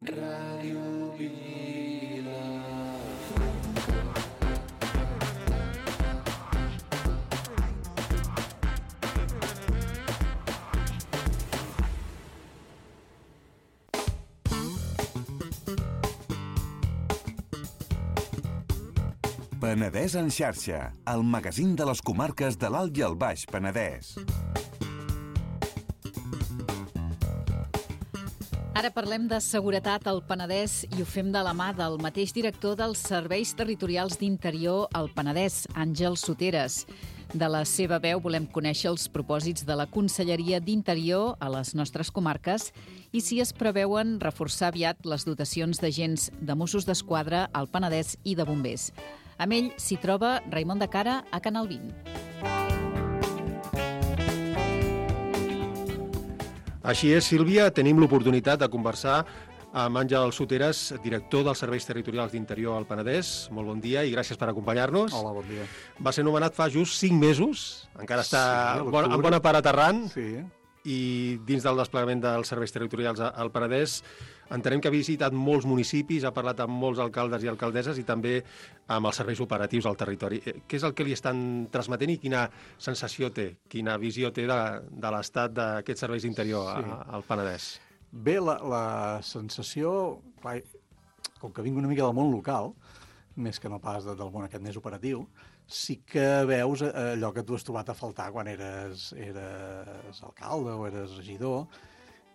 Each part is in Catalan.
Ràdio Vila. Penedès en xarxa, el magazín de les comarques de l'Alt i el Baix Penedès. Ara parlem de seguretat al Penedès i ho fem de la mà del mateix director dels Serveis Territorials d'Interior al Penedès, Àngel Soteres. De la seva veu volem conèixer els propòsits de la Conselleria d'Interior a les nostres comarques i si es preveuen reforçar aviat les dotacions d'agents de Mossos d'Esquadra al Penedès i de bombers. Amb ell s'hi troba Raimon de Cara a Canal 20. Així és, Sílvia, tenim l'oportunitat de conversar amb Àngel Soteres, director dels Serveis Territorials d'Interior al Penedès. Molt bon dia i gràcies per acompanyar-nos. Hola, bon dia. Va ser nomenat fa just 5 mesos, encara està en bona part aterrant, Sí. i dins del desplegament dels Serveis Territorials al Penedès entenem que ha visitat molts municipis, ha parlat amb molts alcaldes i alcaldesses i també amb els serveis operatius al territori. Què és el que li estan transmetent i quina sensació té, quina visió té de l'estat d'aquests serveis d'interior al Penedès? Bé, la sensació, clar, com que vinc una mica del món local, més que no pas del món aquest més operatiu, sí que veus allò que tu has trobat a faltar quan eres alcalde o eres regidor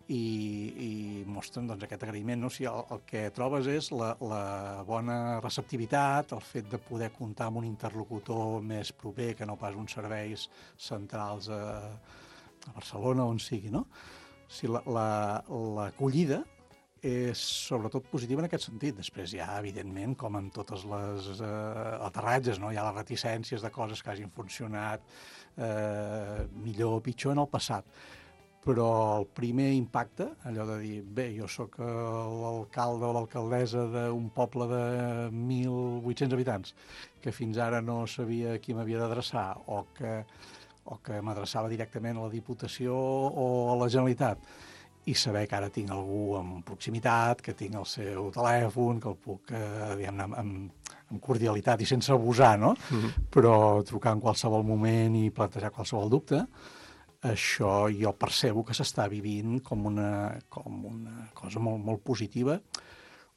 i mostren doncs, aquest agraïment. No? O sigui, el que trobes és la bona receptivitat, el fet de poder comptar amb un interlocutor més proper que no pas uns serveis centrals a Barcelona, on sigui. No? O sigui, l'acollida és sobretot positiva en aquest sentit. Després hi ha, evidentment, com en totes les aterratges, no? Hi ha les reticències de coses que hagin funcionat millor o pitjor en el passat. Però el primer impacte, allò de dir, bé, jo sóc l'alcalde o l'alcaldessa d'un poble de 1.800 habitants, que fins ara no sabia a qui m'havia d'adreçar o que m'adreçava directament a la Diputació o a la Generalitat, i saber que ara tinc algú en proximitat, que tinc el seu telèfon, que el puc, diguem-ne, amb cordialitat i sense abusar, no? Però trucar en qualsevol moment i plantejar qualsevol dubte, això jo percebo que s'està vivint com una cosa molt, molt positiva,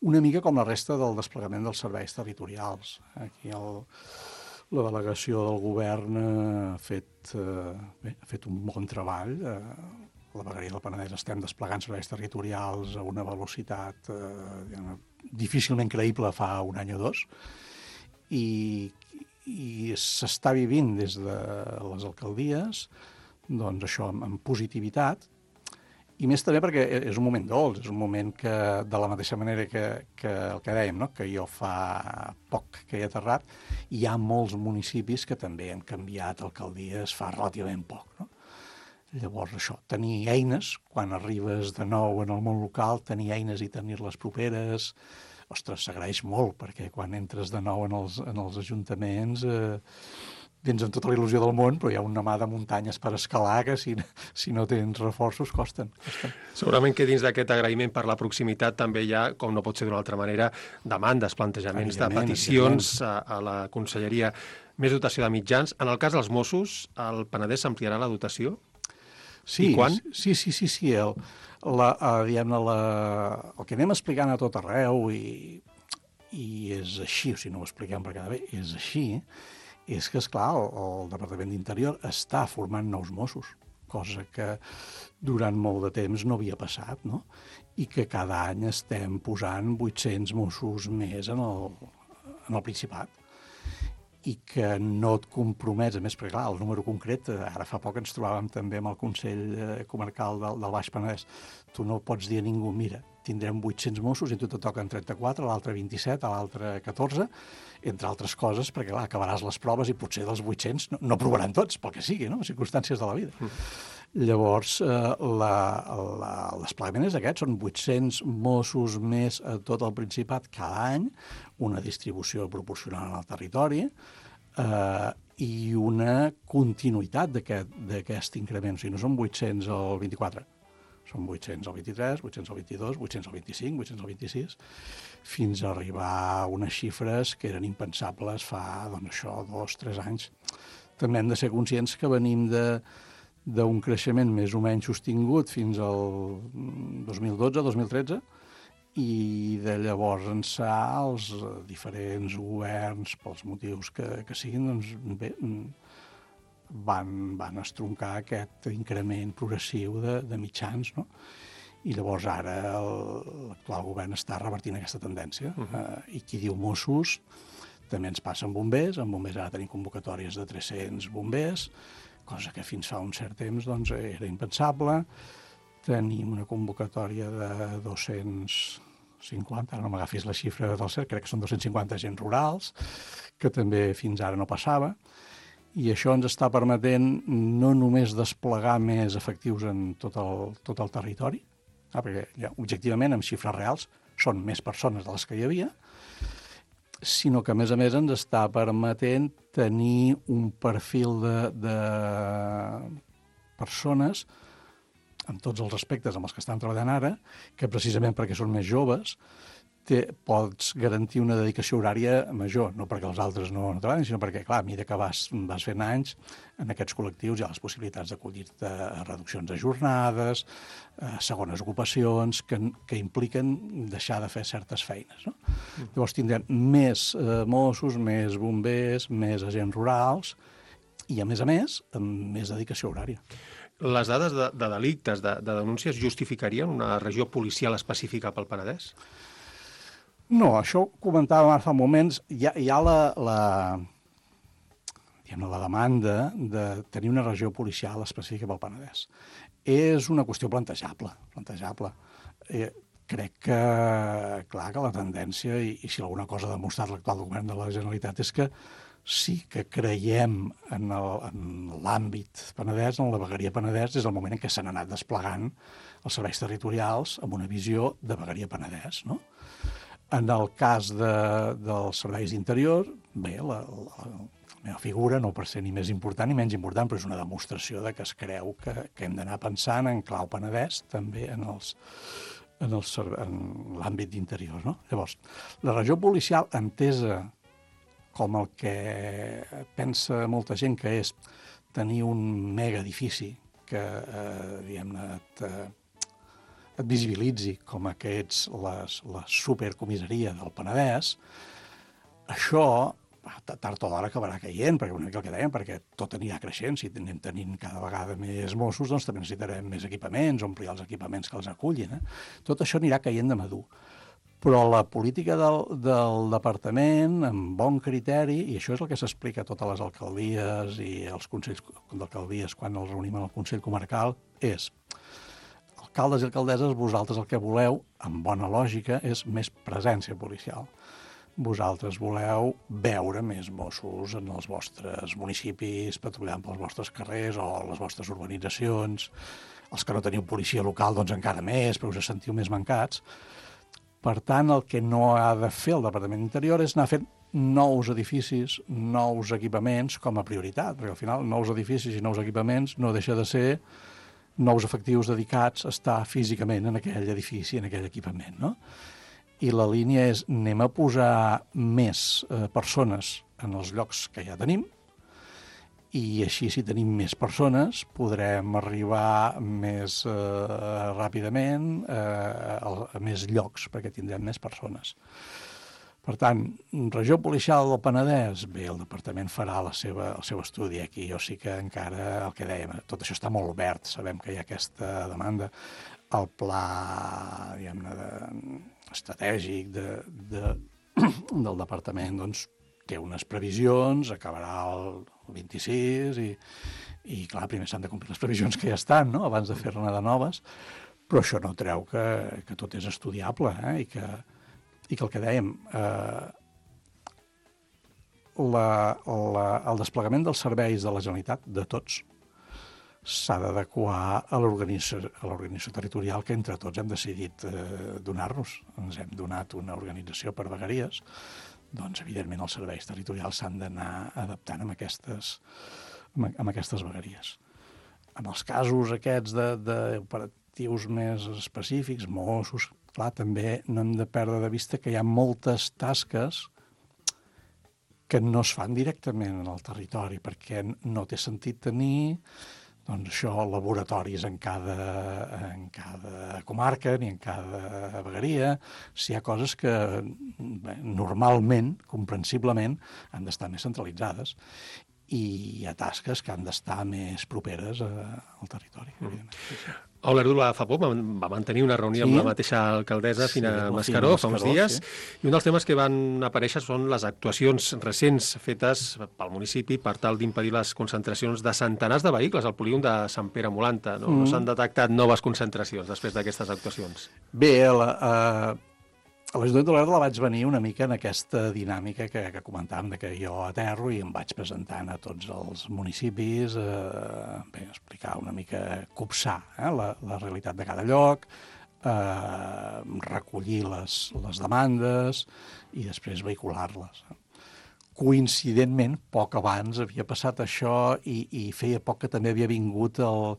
una mica com la resta del desplegament dels serveis territorials. Aquí la delegació del govern ha fet un bon treball. La vegueria del Penedès estem desplegant serveis territorials a una velocitat difícilment creïble fa un any o dos, i s'està vivint des de les alcaldies doncs això amb positivitat, i més també perquè és un moment dolç, és un moment que, de la mateixa manera que el que dèiem, no? Que jo fa poc que he aterrat, hi ha molts municipis que també han canviat alcaldies fa relativament poc, no? Llavors, això, tenir eines, quan arribes de nou en el món local, tenir eines i tenir-les properes, ostres, s'agraeix molt, perquè quan entres de nou en els ajuntaments vens amb tota la il·lusió del món, però hi ha una mà de muntanyes per escalar que si no tens reforços costen. Segurament que dins d'aquest agraïment per la proximitat també hi ha, com no pot ser d'una altra manera, demandes, plantejaments de peticions a la Conselleria. Més dotació de mitjans. En el cas dels Mossos, al Penedès s'ampliarà la dotació? Sí, i quan? Sí. El que anem explicant a tot arreu, i és així, o sigui, no ho expliquem per cada bé, és així, és que, esclar, el Departament d'Interior està formant nous Mossos, cosa que durant molt de temps no havia passat, no? I que cada any estem posant 800 Mossos més en el Principat, i que no et compromets, a més, perquè clar, el número concret, ara fa poc ens trobàvem també amb el Consell Comarcal del Baix Penedès, tu no pots dir a ningú, mira, tindrem 800 Mossos i a tu te toquen 34, a l'altre 27, a l'altre 14, entre altres coses, perquè clar, acabaràs les proves i potser dels 800 no provaran tots, pel que sigui, no? Circumstàncies de la vida. Llavors, el desplegament és aquest, són 800 Mossos més a tot el Principat cada any, una distribució proporcional al territori, i una continuïtat d'aquest increment. O sigui, no són 800 al 24, Són 800 al 23, 800 al 22, 800 al 25, 800 al 26, fins a arribar a unes xifres que eren impensables fa, doncs això, 2-3 anys. També hem de ser conscients que venim d'un creixement més o menys sostingut fins al 2012-2013, i de llavors ençà els diferents governs, pels motius que siguin, doncs bé, van estroncar aquest increment progressiu de mitjans, no? I llavors ara l'actual govern està revertint aquesta tendència. I qui diu Mossos també ens passa amb bombers. Amb bombers ara tenim convocatòries de 300 bombers, cosa que fins fa un cert temps doncs, era impensable. Tenim una convocatòria de 250, ara no m'agafis la xifra del cert, crec que són 250 agents rurals, que també fins ara no passava. I això ens està permetent no només desplegar més efectius en tot el territori, perquè ja, objectivament, amb xifres reals, són més persones de les que hi havia, sinó que, a més, ens està permetent tenir un perfil de persones, en tots els aspectes amb els que estan treballant ara, que precisament perquè són més joves, pots garantir una dedicació horària major, no perquè els altres no treballen, sinó perquè, clar, a mesura que vas fent anys, en aquests col·lectius hi ha les possibilitats d'acollir-te a reduccions de jornades, a segones ocupacions, que impliquen deixar de fer certes feines, no? Llavors tindrem més Mossos, més bombers, més agents rurals i, a més, amb més dedicació horària. Les dades de delictes, de denúncies, justificarien una regió policial específica pel Penedès? No, això ho comentàvem fa moments. Hi ha la demanda de tenir una regió policial específica pel Penedès. És una qüestió plantejable. Crec que, clar, que la tendència, i si alguna cosa ha demostrat l'actual govern de la Generalitat, és que sí que creiem en l'àmbit Penedès, en la vegueria Penedès, des del moment en què s'han anat desplegant els serveis territorials amb una visió de vegueria Penedès, no? En el cas dels serveis d'interior, bé, la meva figura, no per ser ni més important ni menys important, però és una demostració de que es creu que hem d'anar pensant en clau Penedès, també en l'àmbit d'interior, no? Llavors, la regió policial, entesa com el que pensa molta gent que és tenir un mega edifici que, diguem-ne, et visibilitzi com que ets la supercomissaria del Penedès, això tard o d'hora acabarà caient, perquè una mica el que dèiem, perquè tot anirà creixent. Si anem tenint cada vegada més Mossos, doncs també necessitarem més equipaments, omplir els equipaments que els acullin. Tot això anirà caient de madur. Però la política del departament, amb bon criteri, i això és el que s'explica a totes les alcaldies i els consells d'alcaldies quan els reunim en el Consell Comarcal, és: alcaldes i alcaldesses, vosaltres el que voleu, amb bona lògica, és més presència policial. Vosaltres voleu veure més Mossos en els vostres municipis, patrullant pels vostres carrers o les vostres urbanitzacions. Els que no teniu policia local, doncs encara més, però us sentiu més mancats. Per tant, el que no ha de fer el Departament d'Interior és anar fent nous edificis, nous equipaments com a prioritat, perquè al final nous edificis i nous equipaments no deixa de ser nous efectius dedicats a estar físicament en aquell edifici, en aquell equipament, no? I la línia és: anem a posar més persones en els llocs que ja tenim, i així, si tenim més persones, podrem arribar més ràpidament a més llocs, perquè tindrem més persones. Per tant, regió policial del Penedès, bé, el departament farà el seu estudi aquí. Jo sí que encara, el que dèiem, tot això està molt obert, sabem que hi ha aquesta demanda. El pla, diguem-ne, estratègic del departament, doncs, té unes previsions, acabarà el 26 i clar, primer s'han de complir les previsions que ja estan, no?, abans de fer-ne de noves, però això no treu que tot és estudiable, i que el que dèiem, el desplegament dels serveis de la Generalitat, de tots, s'ha d'adequar a l'organització territorial que entre tots hem decidit donar-nos. Ens hem donat una organització per vegueries, doncs, evidentment, els serveis territorials s'han d'anar adaptant amb aquestes vegueries. En els casos aquests operatius més específics, Mossos, clar, també no hem de perdre de vista que hi ha moltes tasques que no es fan directament en el territori, perquè no té sentit tenir doncs això, laboratoris en cada comarca ni en cada vegueria. Si hi ha coses que normalment, comprensiblement, han d'estar més centralitzades i hi ha tasques que han d'estar més properes al territori. Olerdula fa poc va mantenir una reunió amb la mateixa alcaldessa, Fina Mascaró, fa uns dies, i un dels temes que van aparèixer són les actuacions recents fetes pel municipi per tal d'impedir les concentracions de centenars de vehicles al polígon de Sant Pere Molanta. No s'han detectat noves concentracions després d'aquestes actuacions? Bé, a l'Ajuntament d'Olèrdola vaig venir una mica en aquesta dinàmica que comentàvem, de que jo aterro i em vaig presentant a tots els municipis, explicar una mica, copsar la realitat de cada lloc, recollir les demandes i després vehicular-les. Coincidentment, poc abans havia passat això i feia poc que també havia vingut el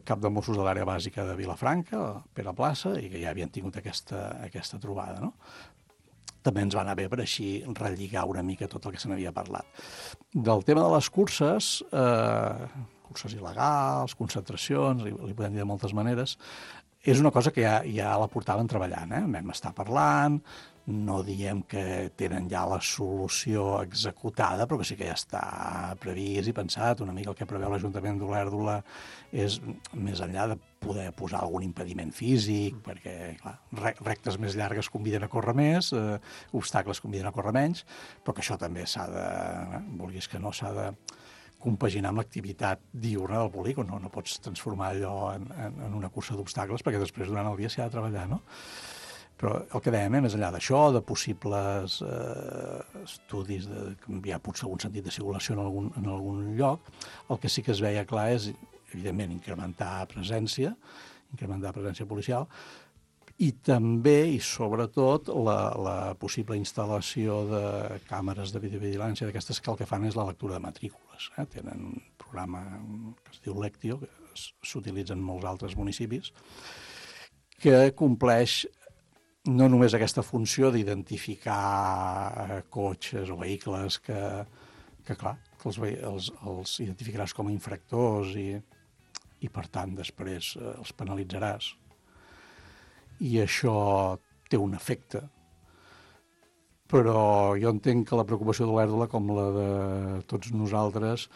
cap de Mossos de l'àrea bàsica de Vilafranca, Pere Plaça, i que ja havien tingut aquesta trobada, no? També ens va anar bé per així relligar una mica tot el que se n'havia parlat. Del tema de les curses, curses il·legals, concentracions, li podem dir de moltes maneres, és una cosa que ja la portaven treballant, vam estar parlant, no diem que tenen ja la solució executada, però que sí que ja està previst i pensat. Una mica el que preveu l'Ajuntament d'Olèrdola és, més enllà de poder posar algun impediment físic, perquè, clar, rectes més llargues conviden a córrer més, obstacles conviden a córrer menys, però que això també s'ha de, vulguis que no, s'ha de compaginar amb l'activitat diurna del polígon. No pots transformar allò en una cursa d'obstacles, perquè després durant el dia s'hi ha de treballar, no? Però el que dèiem, més enllà d'això, de possibles estudis de canviar potser algun sentit de circulació en algun lloc, el que sí que es veia clar és, evidentment, incrementar presència policial, i també, i sobretot, la possible instal·lació de càmeres de videovigilància d'aquestes que el que fan és la lectura de matrícules. Tenen un programa que es diu Lectio, que s'utilitza en molts altres municipis, que compleix no només aquesta funció d'identificar cotxes o vehicles que clar, que els identificaràs com a infractors i per tant, després els penalitzaràs. I això té un efecte. Però jo entenc que la preocupació d'Olèrdola, com la de tots nosaltres,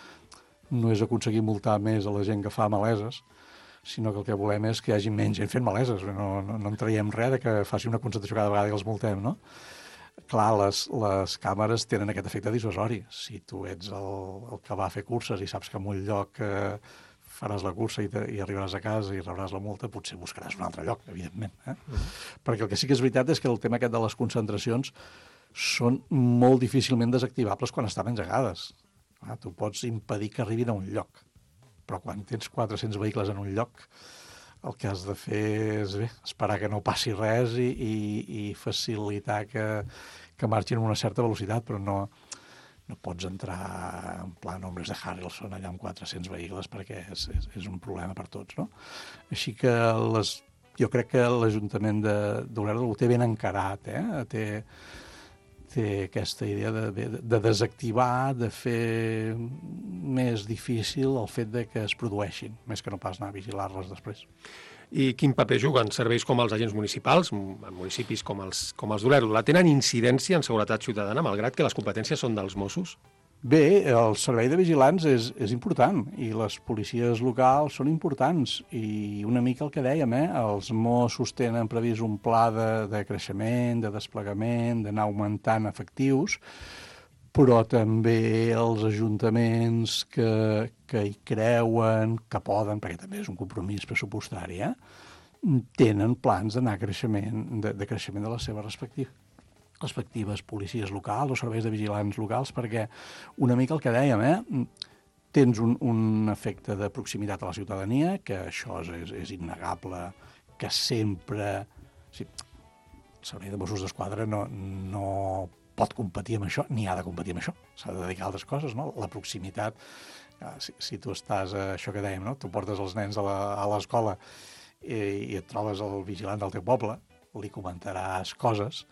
no és aconseguir multar més a la gent que fa maleses, sinó que el que volem és que hi hagi menys gent fent maleses. No en traiem res de que faci una concentració cada vegada i els multem, no? Clar, les càmeres tenen aquest efecte dissuasori. Si tu ets el que va a fer curses i saps que en un lloc faràs la cursa i arribaràs a casa i rebràs la multa, potser buscaràs un altre lloc, evidentment. Perquè el que sí que és veritat és que el tema aquest de les concentracions són molt difícilment desactivables quan estan engegades. Tu pots impedir que arribin a un lloc, però quan tens 400 vehicles en un lloc, el que has de fer és esperar que no passi res i facilitar que marxin amb una certa velocitat, però no pots entrar en plan homes de Harrelson allà amb 400 vehicles perquè és un problema per tots, no? Així que jo crec que l'Ajuntament d'Olèrdola ho té ben encarat, té aquesta idea de desactivar, de fer més difícil el fet de que es produeixin, més que no pas anar a vigilar-les després. I quin paper juguen serveis com els agents municipals, en municipis com els d'Olèrdola? Tenen incidència en seguretat ciutadana, malgrat que les competències són dels Mossos? Bé, el servei de vigilants és important i les policies locals són importants i una mica el que dèiem, els Mossos tenen previst un pla de creixement, de desplegament, d'anar augmentant efectius, però també els ajuntaments que hi creuen, que poden, perquè també és un compromís pressupostari, tenen plans d'anar de creixement de les seves respectives policies locals o serveis de vigilants locals, perquè una mica el que dèiem, tens un efecte de proximitat a la ciutadania, que això és innegable, que sempre... El servei de Mossos d'Esquadra no pot competir amb això, ni ha de competir amb això. S'ha de dedicar a altres coses, no? La proximitat, si tu estàs, això que dèiem, no? Tu portes els nens a l'escola i et trobes el vigilant del teu poble, li comentaràs coses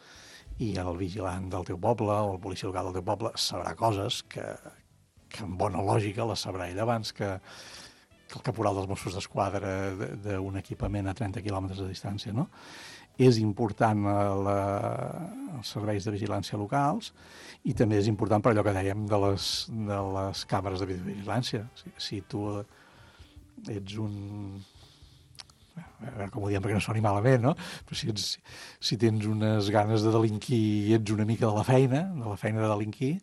i el vigilant del teu poble o el policia local del teu poble sabrà coses que amb bona lògica les sabrà ell abans que el caporal dels Mossos d'Esquadra d'un equipament a 30 quilòmetres de distància, no? És important els serveis de vigilància locals i també és important per allò que dèiem de les càmeres de videovigilància. Si tu ets un... A veure com ho diem perquè no soni malament, no? Però si tens unes ganes de delinquir i ets una mica de la feina de delinquir,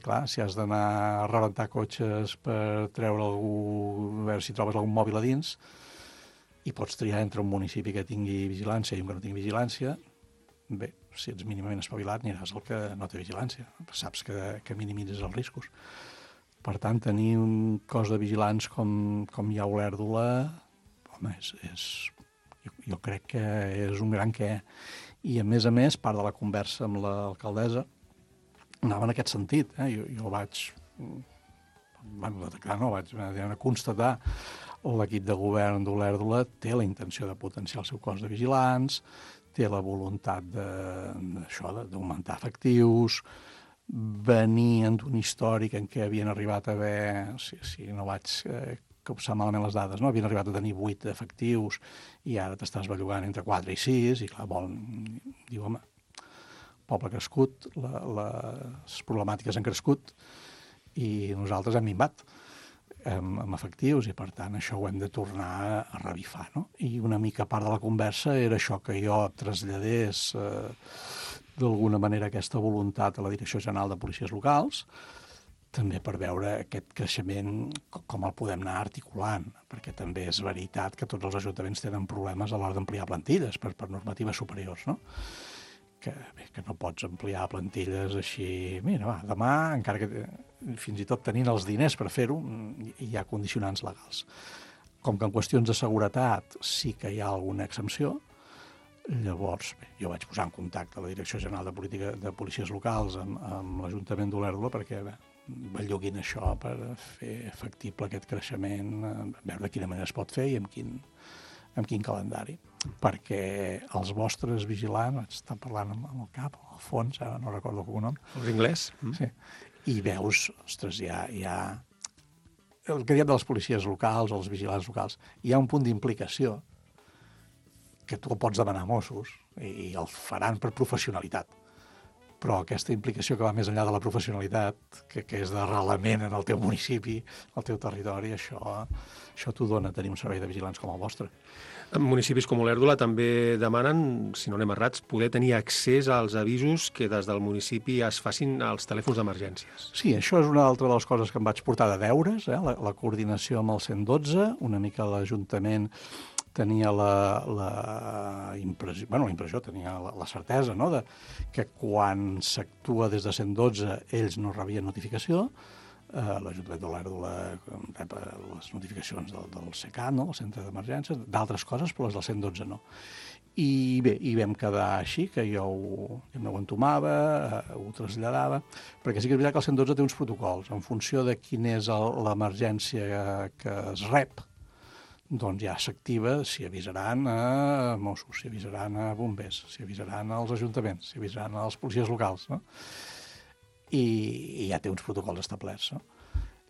clar, si has d'anar a rebentar cotxes per treure algú, a veure si trobes algun mòbil a dins, i pots triar entre un municipi que tingui vigilància i un que no tingui vigilància, bé, si ets mínimament espavilat aniràs al que no té vigilància. Saps que minimitzes els riscos. Per tant, tenir un cos de vigilants com hi ha a Olèrdola, home, jo crec que és un gran què. I, a més, part de la conversa amb l'alcaldessa anava en aquest sentit. Jo vaig detectar, vaig constatar l'equip de govern d'Olèrdola té la intenció de potenciar el seu cos de vigilants, té la voluntat d'augmentar efectius, venien d'un històric en què havien arribat a haver, si no vaig copsar malament les dades, no? Havien arribat a tenir 8 efectius i ara t'estàs bellugant entre 4 i 6 i clar, diu, home, poble crescut, les problemàtiques han crescut i nosaltres hem minvat amb efectius i, per tant, això ho hem de tornar a revifar, no? I una mica part de la conversa era això, que jo traslladés d'alguna manera aquesta voluntat a la Direcció General de Policies Locals, també per veure aquest creixement com el podem anar articulant, perquè també és veritat que tots els ajuntaments tenen problemes a l'hora d'ampliar plantilles per normatives superiors, no? Que no pots ampliar plantilles així... Mira, demà, encara que fins i tot tenint els diners per fer-ho, hi ha condicionants legals. Com que en qüestions de seguretat sí que hi ha alguna exempció, llavors jo vaig posar en contacte la Direcció General de Policies Locals amb l'Ajuntament d'Olèrdola perquè belluguin això per fer factible aquest creixement, veure de quina manera es pot fer i amb quin calendari. Perquè els vostres vigilants, vaig estar parlant amb el cap, al fons, ara no recordo el cognom. Els anglès? Sí. I veus, ostres, hi ha... El que diem de les policies locals o els vigilants locals, hi ha un punt d'implicació que tu el pots demanar a Mossos i el faran per professionalitat. Però aquesta implicació que va més enllà de la professionalitat, que és d'arrelament en el teu municipi, al teu territori, això t'ho dona tenir un servei de vigilants com el vostre. En municipis com Olèrdola també demanen, si no anem errats, poder tenir accés als avisos que des del municipi es facin als telèfons d'emergències. Sí, això és una altra de les coses que em vaig portar de deures, la coordinació amb el 112, una mica l'Ajuntament tenia la impressió, tenia la certesa, no?, que quan s'actua des de 112 ells no rebien notificació. L'Ajuntament d'Olèrdola rep les notificacions del CECAT, no?, el Centre d'Emergències, d'altres coses, però les del 112 no. I bé, hi vam quedar així, que jo ho entomava, ho traslladava, perquè sí que és veritat que el 112 té uns protocols. En funció de quina és l'emergència que es rep, doncs ja s'activa si avisaran a Mossos, si avisaran a bombers, si avisaran als ajuntaments, si avisaran als policies locals, no? I ja té uns protocols establerts, no?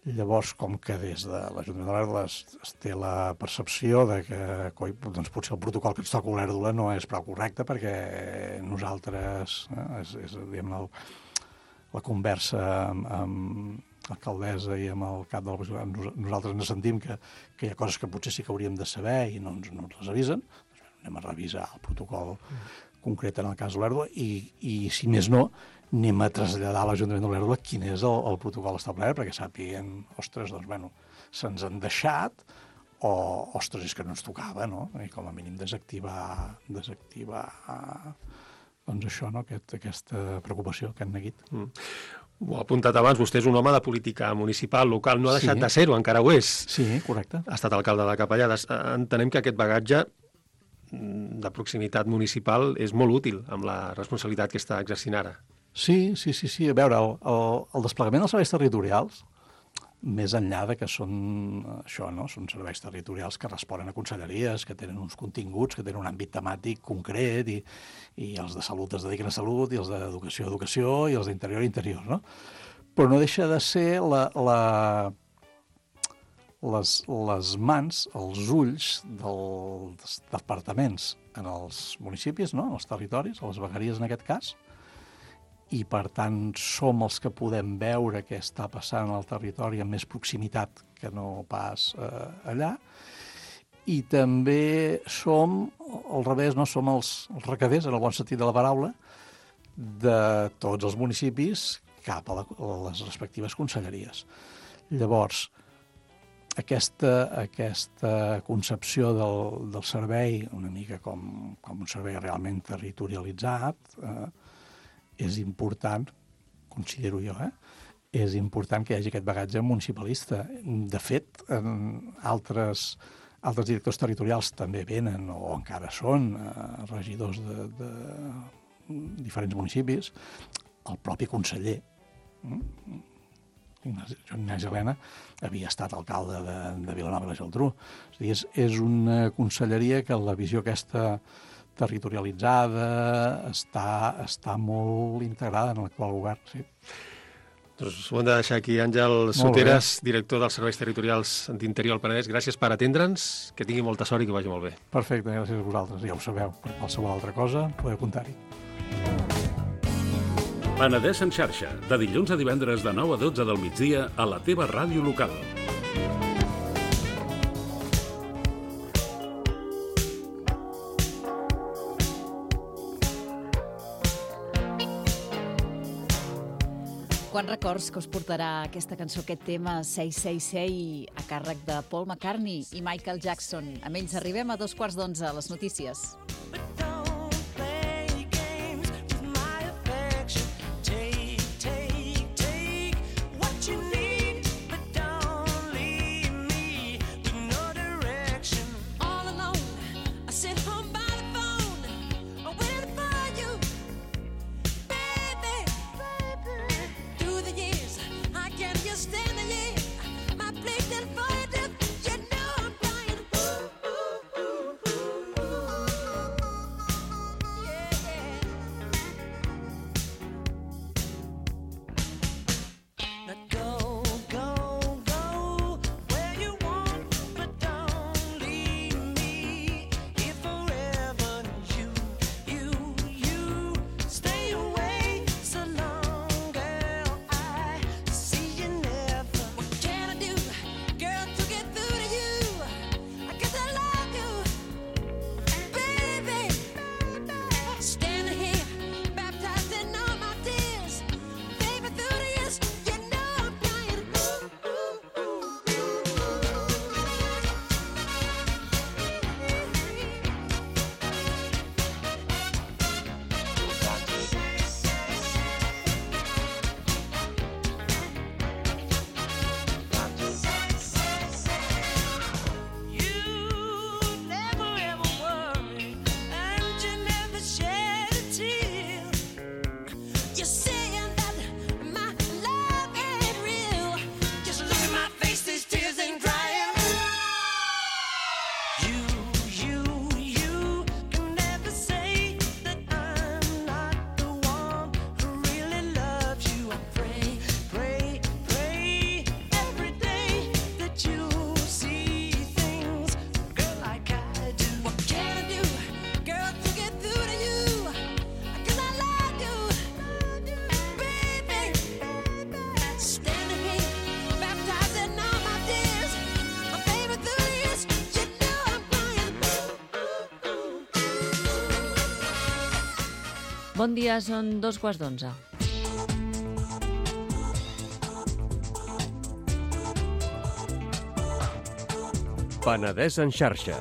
Llavors, com que des de l'Ajuntament d'Olèrdola es té la percepció de que doncs, potser el protocol que ens toca a Olèrdola no és prou correcte perquè nosaltres, la conversa amb l'alcaldessa i amb el cap de la... Nosaltres ens sentim que hi ha coses que potser sí que hauríem de saber i no ens les avisen. Anem a revisar el protocol concret en el cas d'Olèrdola i, si més no, anem a traslladar a l'Ajuntament d'Olèrdola quin és el protocol establert perquè sàpiguen, ostres, doncs, bueno, se'ns han deixat o, ostres, és que no ens tocava, no? I com a mínim desactivar doncs això, no?, aquesta preocupació, aquest neguit. Ho ha apuntat abans, vostè és un home de política municipal, local, no ha deixat de ser-ho, encara ho és. Sí, correcte. Ha estat alcalde de Capellades. Entenem que aquest bagatge de proximitat municipal és molt útil amb la responsabilitat que està exercint ara. Sí. A veure, el desplegament dels serveis territorials més enllà de que són això, no? Són serveis territorials que responen a conselleries, que tenen uns continguts, que tenen un àmbit temàtic concret, i els de salut es dediquen a salut, i els d'educació a educació, i els d'interior a interior, no? Però no deixa de ser les mans, els ulls dels departaments en els municipis, no? En els territoris, a les vegueries en aquest cas, i per tant som els que podem veure què està passant al territori amb més proximitat que no pas allà, i també som, al revés, no? Som els recaders, en el bon sentit de la paraula, de tots els municipis cap a les respectives conselleries. Llavors, aquesta concepció del servei, una mica com un servei realment territorialitzat, és important, considero jo, és important que hi hagi aquest bagatge municipalista. De fet, altres directors territorials també venen, o encara són, regidors de diferents municipis. El propi conseller, Joan Ignasi Elena, havia estat alcalde de Vilanova i la Geltrú. És una conselleria que la visió aquesta territorialitzada està molt integrada en l'actual govern, sí. Doncs ho hem de deixar aquí. Àngel Soteras, director dels Serveis Territorials d'Interior al Penedès, gràcies per atendre'ns, que tingui molta sort i que vagi molt bé. Perfecte, gràcies a vosaltres. Ja ho sabeu, per qualsevol altra cosa podeu comptar-hi. Penedès en xarxa, de dilluns a divendres de 9 a 12 del migdia a la teva ràdio local. Quants records que us portarà aquesta cançó, aquest tema 666, a càrrec de Paul McCartney i Michael Jackson. Amb ells arribem a 11:15 a les notícies. Bon dia, són 11:15. Penedès en xarxa.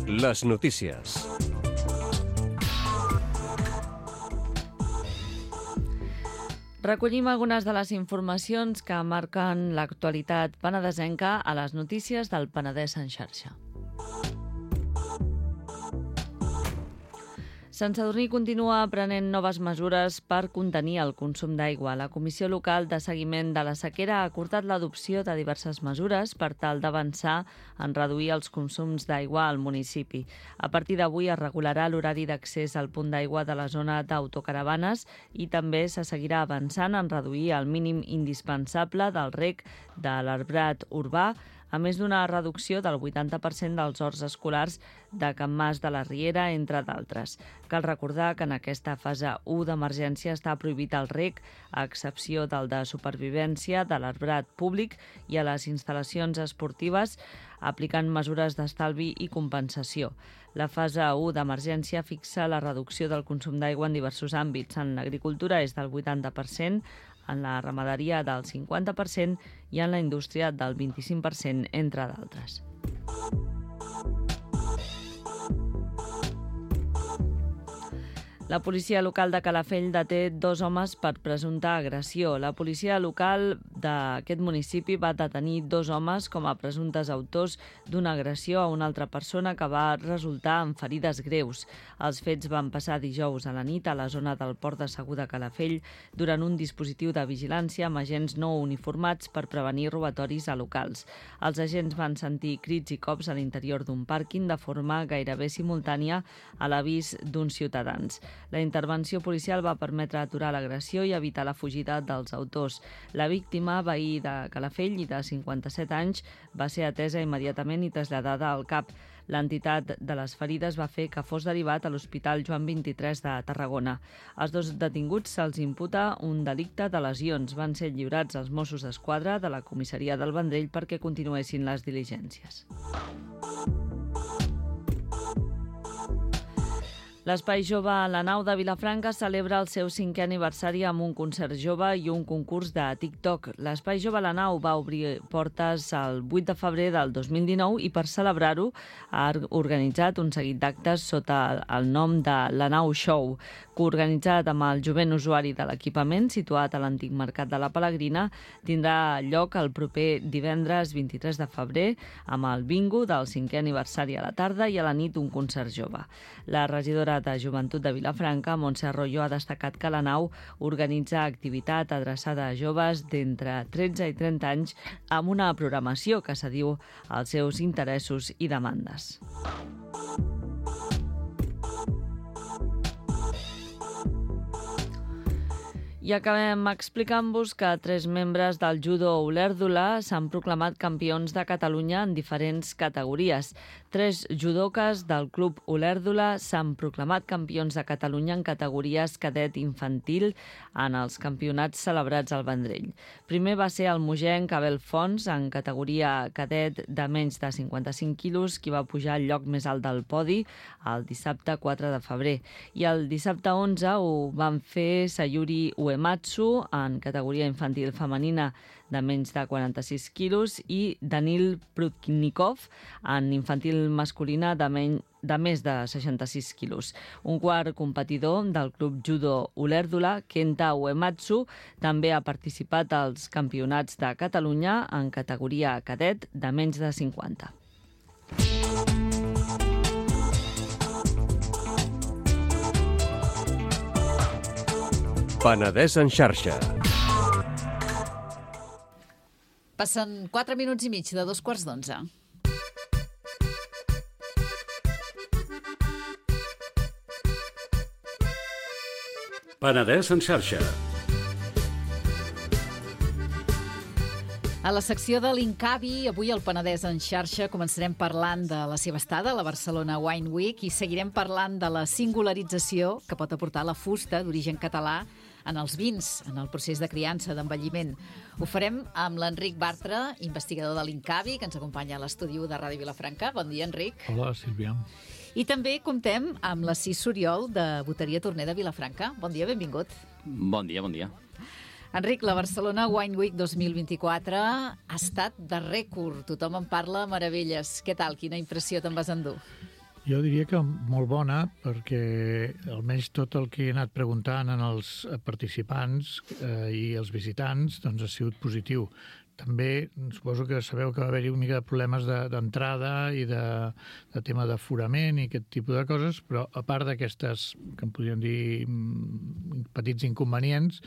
Les notícies. Recollim algunes de les informacions que marquen l'actualitat penedesenca a les notícies del Penedès en xarxa. Sant Sadurní continua prenent noves mesures per contenir el consum d'aigua. La Comissió Local de Seguiment de la Sequera ha acordat l'adopció de diverses mesures per tal d'avançar en reduir els consums d'aigua al municipi. A partir d'avui es regularà l'horari d'accés al punt d'aigua de la zona d'autocaravanes i també se seguirà avançant en reduir el mínim indispensable del reg de l'arbrat urbà, a més d'una reducció del 80% dels horts escolars de Can Mas de la Riera, entre d'altres. Cal recordar que en aquesta fase 1 d'emergència està prohibit el reg, a excepció del de supervivència de l'arbrat públic i a les instal·lacions esportives, aplicant mesures d'estalvi i compensació. La fase 1 d'emergència fixa la reducció del consum d'aigua en diversos àmbits. En l'agricultura és del 80%, en la ramaderia del 50% i en la indústria del 25%, entre d'altres. La policia local de Calafell deté 2 homes per presumpta agressió. La policia local d'aquest municipi va detenir 2 homes com a presumptes autors d'una agressió a una altra persona que va resultar en ferides greus. Els fets van passar dijous a la nit a la zona del Port de Segur de Calafell durant un dispositiu de vigilància amb agents no uniformats per prevenir robatoris a locals. Els agents van sentir crits i cops a l'interior d'un pàrquing de forma gairebé simultània a l'avís d'uns ciutadans. La intervenció policial va permetre aturar l'agressió i evitar la fugida dels autors. La víctima, veí de Calafell i de 57 anys, va ser atesa immediatament i traslladada al CAP. L'entitat de les ferides va fer que fos derivat a l'Hospital Joan 23 de Tarragona. Als 2 detinguts se'ls imputa un delicte de lesions. Van ser lliurats als Mossos d'Esquadra de la comissaria del Vendrell perquè continuessin les diligències. L'Espai Jove a la Nau de Vilafranca celebra el seu 5è aniversari amb un concert jove i un concurs de TikTok. L'Espai Jove a la Nau va obrir portes el 8 de febrer del 2019 i per celebrar-ho ha organitzat un seguit d'actes sota el nom de La Nau Show, coorganitzat amb el jovent usuari de l'equipament situat a l'antic mercat de la Pelegrina. Tindrà lloc el proper divendres 23 de febrer amb el bingo del 5è aniversari a la tarda i a la nit un concert jove. La regidora de Joventut de Vilafranca, Montse Arroyo, ha destacat que la nau organitza activitat adreçada a joves d'entre 13 i 30 anys amb una programació que s'adiu als seus interessos i demandes. I acabem explicant-vos que 3 membres del judo Olèrdula s'han proclamat campions de Catalunya en diferents categories. 3 judoques del club Olèrdula s'han proclamat campions de Catalunya en categories cadet infantil en els campionats celebrats al Vendrell. Primer va ser el mogenc Abel Fons en categoria cadet de menys de 55 quilos, qui va pujar al lloc més alt del podi el dissabte 4 de febrer. I el dissabte 11 ho van fer Sayuri Uematsu en categoria infantil femenina de menys de 46 quilos i Danil Prudnikov en infantil masculina de més de 66 quilos. Un quart competidor del club judo Olèrdula, Kenta Uematsu, també ha participat als campionats de Catalunya en categoria cadet de menys de 50. Penedès en xarxa. Passen 4 minuts i mig de 2:15. Penedès en xarxa. A la secció de l'Incavi, avui al Penedès en xarxa, començarem parlant de la seva estada a la Barcelona Wine Week i seguirem parlant de la singularització que pot aportar la fusta d'origen català en els vins, en el procés de criança, d'envelliment. Ho farem amb l'Enric Bartra, investigador de l'Incavi, que ens acompanya a l'estudi de Ràdio Vilafranca. Bon dia, Enric. Hola, Sílvia. I també comptem amb l'Assís Soriol, de Boteria Torner de Vilafranca. Bon dia, benvingut. Bon dia, bon dia. Enric, la Barcelona Wine Week 2024 ha estat de rècord. Tothom en parla meravelles. Què tal? Quina impressió te'n vas endur? Jo diria que molt bona, perquè almenys tot el que he anat preguntant en els participants i els visitants doncs ha sigut positiu. també suposo que sabeu que va haver-hi una mica de problemes d'entrada i de tema d'aforament i aquest tipus de coses, però a part d'aquestes, que en podríem dir petits inconvenients,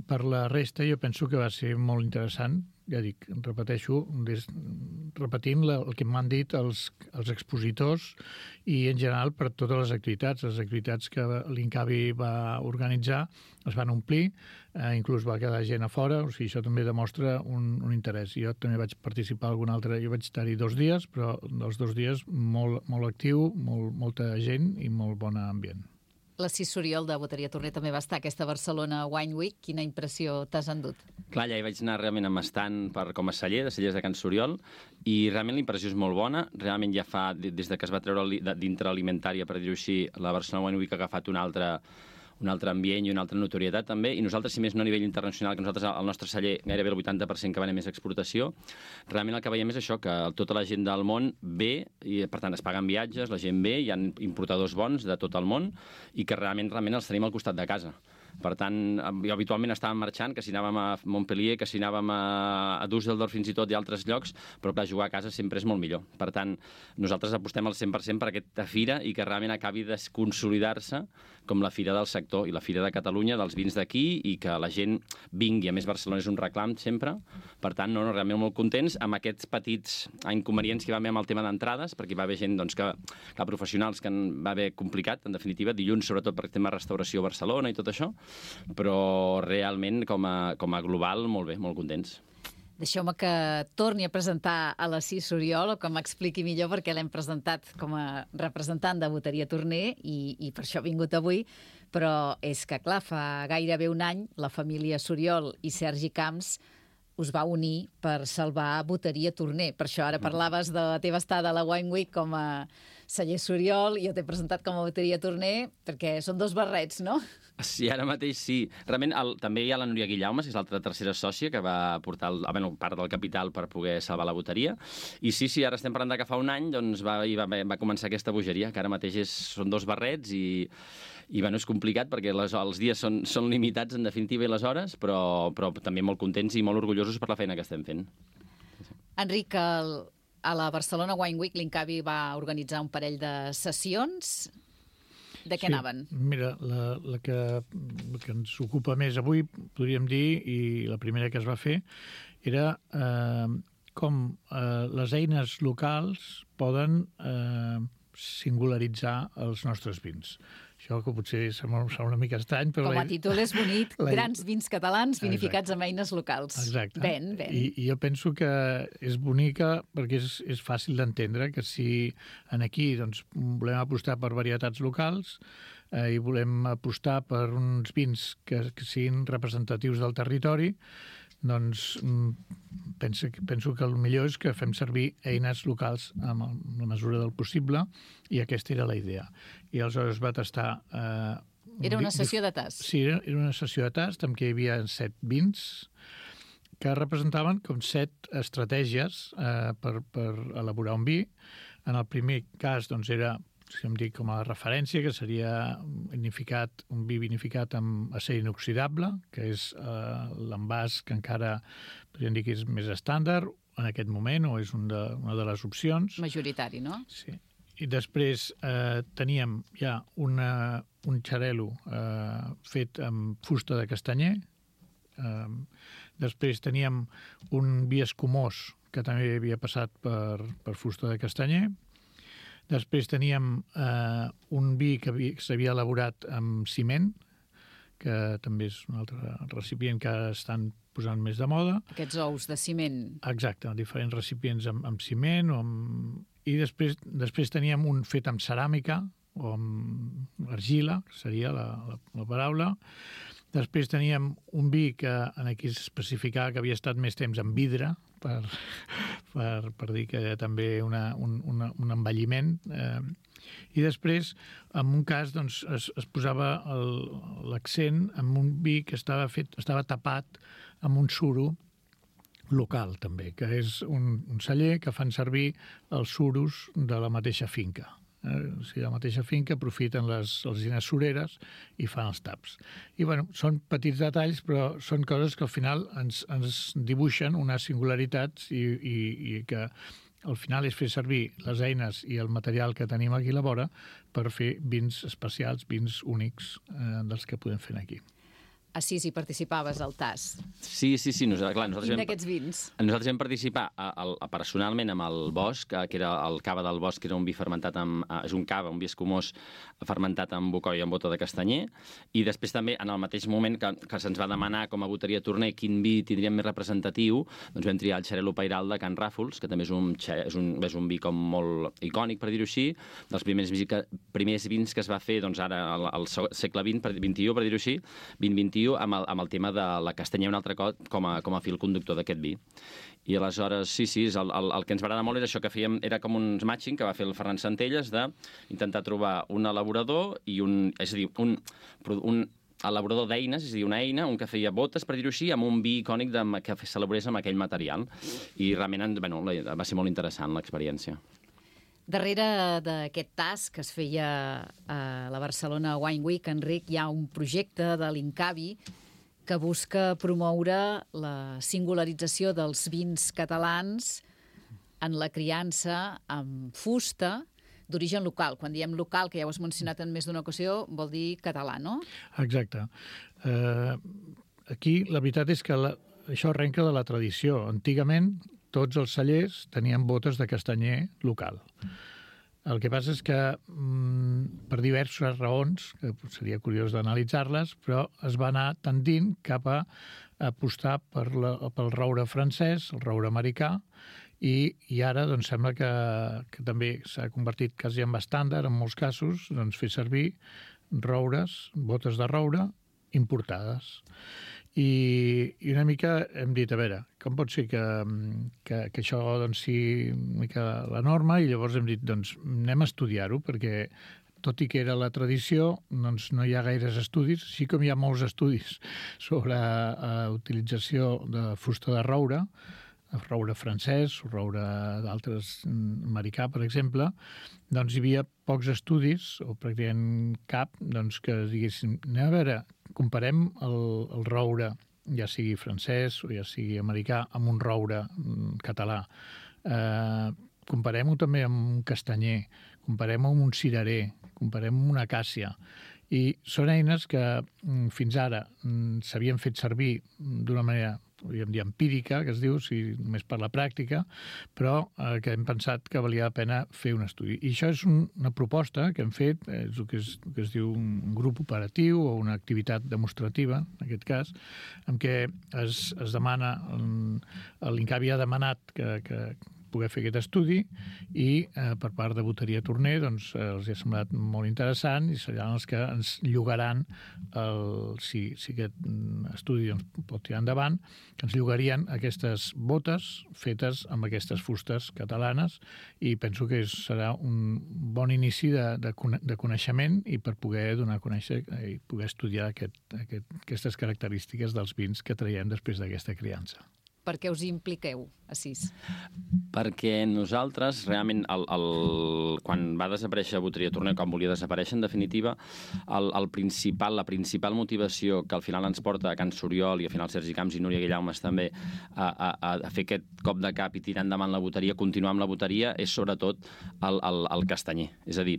per la resta jo penso que va ser molt interessant. Ja dic, repeteixo, repetint el que m'han dit els expositors i en general per totes les activitats. Les activitats que l'Incavi va organitzar es van omplir, inclús va quedar gent a fora, o sigui, això també demostra un interès. Jo també vaig participar algun altre, jo vaig estar-hi 2 dies, però dels 2 dies molt actiu, molta gent i molt bon ambient. L'Assis Oriol de Boteria Torner també va estar a aquesta Barcelona Wine Week. Quina impressió t'has endut? Clar, ja hi vaig anar realment amb estant com a celler, de cellers de Can Soriol, i realment la impressió és molt bona. Realment ja fa, des que es va treure dintre alimentària, per dir-ho així, la Barcelona Wine Week ha agafat un altre ambient i una altra notorietat també, i nosaltres, si més no a nivell internacional, que nosaltres, el nostre celler, gairebé el 80% que va anar més a exportació, realment el que veiem és això, que tota la gent del món ve, i per tant es paguen viatges, la gent ve, hi ha importadors bons de tot el món, i que realment els tenim al costat de casa. Per tant, jo habitualment estàvem marxant, que si anàvem a Montpellier, que si anàvem a Düsseldorf fins i tot i altres llocs, però clar, jugar a casa sempre és molt millor. Per tant, nosaltres apostem al 100% per aquesta fira i que realment acabi de consolidar-se com la fira del sector i la fira de Catalunya, dels vins d'aquí, i que la gent vingui. A més, Barcelona és un reclam sempre. Per tant, realment molt contents amb aquests petits inconvenients que hi va haver amb el tema d'entrades, perquè hi va haver gent que professionals que va haver complicat, en definitiva, dilluns, sobretot per el tema restauració a Barcelona i tot això, però realment com a global molt bé, molt contents. Deixeu-me que torni a presentar a l'Assis Oriol, o que m'expliqui millor, perquè l'hem presentat com a representant de Boteria Torner i per això ha vingut avui, però és que, clar, fa gairebé un any la família Soriol i Sergi Camps us va unir per salvar Boteria Torner. Per això ara parlaves de la teva estada a la Wine Week com a celler Soriol i jo t'he presentat com a Boteria Torner perquè són 2 barrets, no? Sí, ara mateix sí. Realment també hi ha la Núria Guillaumes, que és l'altra tercera sòcia, que va portar part del capital per poder salvar la boteria. I sí, ara estem parlant que fa un any va començar aquesta bogeria, que ara mateix són 2 barrets i és complicat perquè els dies són limitats, en definitiva, i les hores, però també molt contents i molt orgullosos per la feina que estem fent. Enric, a la Barcelona Wine Week l'Incavi va organitzar un parell de sessions. De què anaven? Mira, la que ens ocupa més avui, podríem dir, i la primera que es va fer, era com les eines locals poden singularitzar els nostres vins. Això que potser sembla una mica estrany, però... Com a títol és bonic, grans vins catalans vinificats amb eines locals. Exacte. Ben. I jo penso que és bonica perquè és fàcil d'entendre que si aquí volem apostar per varietats locals i volem apostar per uns vins que siguin representatius del territori, doncs penso que el millor és que fem servir eines locals amb la mesura del possible, i aquesta era la idea. I aleshores va tastar... Era una sessió de tast? Sí, era una sessió de tast en què hi havia 7 vins que representaven com 7 estratègies per elaborar un vi. En el primer cas era, si em dic com a referència, que seria un vi vinificat amb acer inoxidable, que és l'envàs que encara podríem dir que és més estàndard en aquest moment, o és una de les opcions. Majoritari, no? Sí. I després teníem ja un xarel·lo fet amb fusta de castanyer. Després teníem un vi escumós que també havia passat per fusta de castanyer. Després teníem un vi que s'havia elaborat amb ciment, que també és un altre recipient que estan posant més de moda. Aquests ous de ciment. Exacte, diferents recipients amb ciment. I després teníem un fet amb ceràmica, o amb argila, que seria la paraula. Després teníem un vi que aquí s'especificava que havia estat més temps en vidre, per dir que també un envelliment. I després, en un cas, es posava l'accent en un vi que estava tapat amb un suro local, també, que és un celler que fan servir els suros de la mateixa finca. O sigui, a la mateixa finca aprofiten les alzines sureres i fan els taps. I, bueno, són petits detalls, però són coses que al final ens dibuixen unes singularitats i que al final és fer servir les eines i el material que tenim aquí a la vora per fer vins especials, vins únics dels que podem fer aquí. Assís, hi participaves al TAS. Sí. Nosaltres Quin d'aquests vins? Nosaltres vam participar personalment amb el Bosch, que era el cava del Bosch, que era un vi fermentat és un cava, un vi escumós fermentat amb bocoi i amb bota de castanyer, i després també, en el mateix moment que se'ns va demanar com a boteria Torner quin vi tindríem més representatiu, doncs vam triar el Xarel·lo Pairal de Can Ràfols, que també és un vi com molt icònic, per dir-ho així, dels primers vins que es va fer doncs, ara al segle XX, per dir-ho així, 20-21, amb el tema de la castanya un altre cop com a fil conductor d'aquest vi. I aleshores, sí, el que ens va agradar molt era això que fèiem, era com un matching que va fer el Ferran Centelles d'intentar trobar un elaborador i un elaborador d'eines, és a dir, una eina, un que feia botes, per dir-ho així, amb un vi icònic que s'elaborés amb aquell material. I realment, va ser molt interessant l'experiència. Darrere d'aquest TAS que es feia a la Barcelona Wine Week, Enric, hi ha un projecte de l'Incavi que busca promoure la singularització dels vins catalans en la criança amb fusta d'origen local. Quan diem local, que ja ho has mencionat en més d'una ocasió, vol dir català, no? Exacte. Aquí la veritat és que això arrenca de la tradició. Antigament, tots els cellers tenien botes de castanyer local. El que passa és que, per diverses raons, que seria curiós d'analitzar-les, però es va anar tendint cap a apostar pel roure francès, el roure americà, i ara doncs, sembla que també s'ha convertit quasi en estàndard, en molts casos, doncs, fer servir roures, botes de roure importades. I una mica hem dit, a veure, com pot ser que això doncs, sigui una mica la norma, i llavors hem dit, doncs anem a estudiar-ho, perquè tot i que era la tradició, doncs no hi ha gaires estudis, així com hi ha molts estudis sobre utilització de fusta de roure francès, roure d'altres americà, per exemple, doncs hi havia pocs estudis, o pràcticament cap, doncs que diguéssim, anem a veure, comparem el roure, ja sigui francès o ja sigui americà, amb un roure català. Comparem-ho també amb un castanyer, comparem-ho amb un cirerer, comparem-ho amb una acàcia. I són eines que fins ara s'havien fet servir d'una manera, podríem dir, empírica, que es diu, només per la pràctica, però que hem pensat que valia la pena fer un estudi. I això és una proposta que hem fet, és el que es diu un grup operatiu o una activitat demostrativa, en aquest cas, en què es demana, l'Incavi ha demanat que poder fer aquest estudi i per part de Boteria Torner doncs, els ha semblat molt interessant i seran els que ens llogaran, si aquest estudi doncs, pot tirar endavant, que ens llogarien aquestes botes fetes amb aquestes fustes catalanes, i penso que serà un bon inici de coneixement i per poder donar a conèixer i poder estudiar aquestes característiques dels vins que traiem després d'aquesta criança. Per què us hi impliqueu, Assís? Perquè nosaltres, realment, quan va desaparèixer Boteria Torner, quan volia desaparèixer, en definitiva, la principal motivació que al final ens porta a Can Soriol i al final Sergi Camps i Núria Guillaumes també a fer aquest cop de cap i tirar endavant la boteria, continuar amb la boteria, és sobretot el castanyer. És a dir,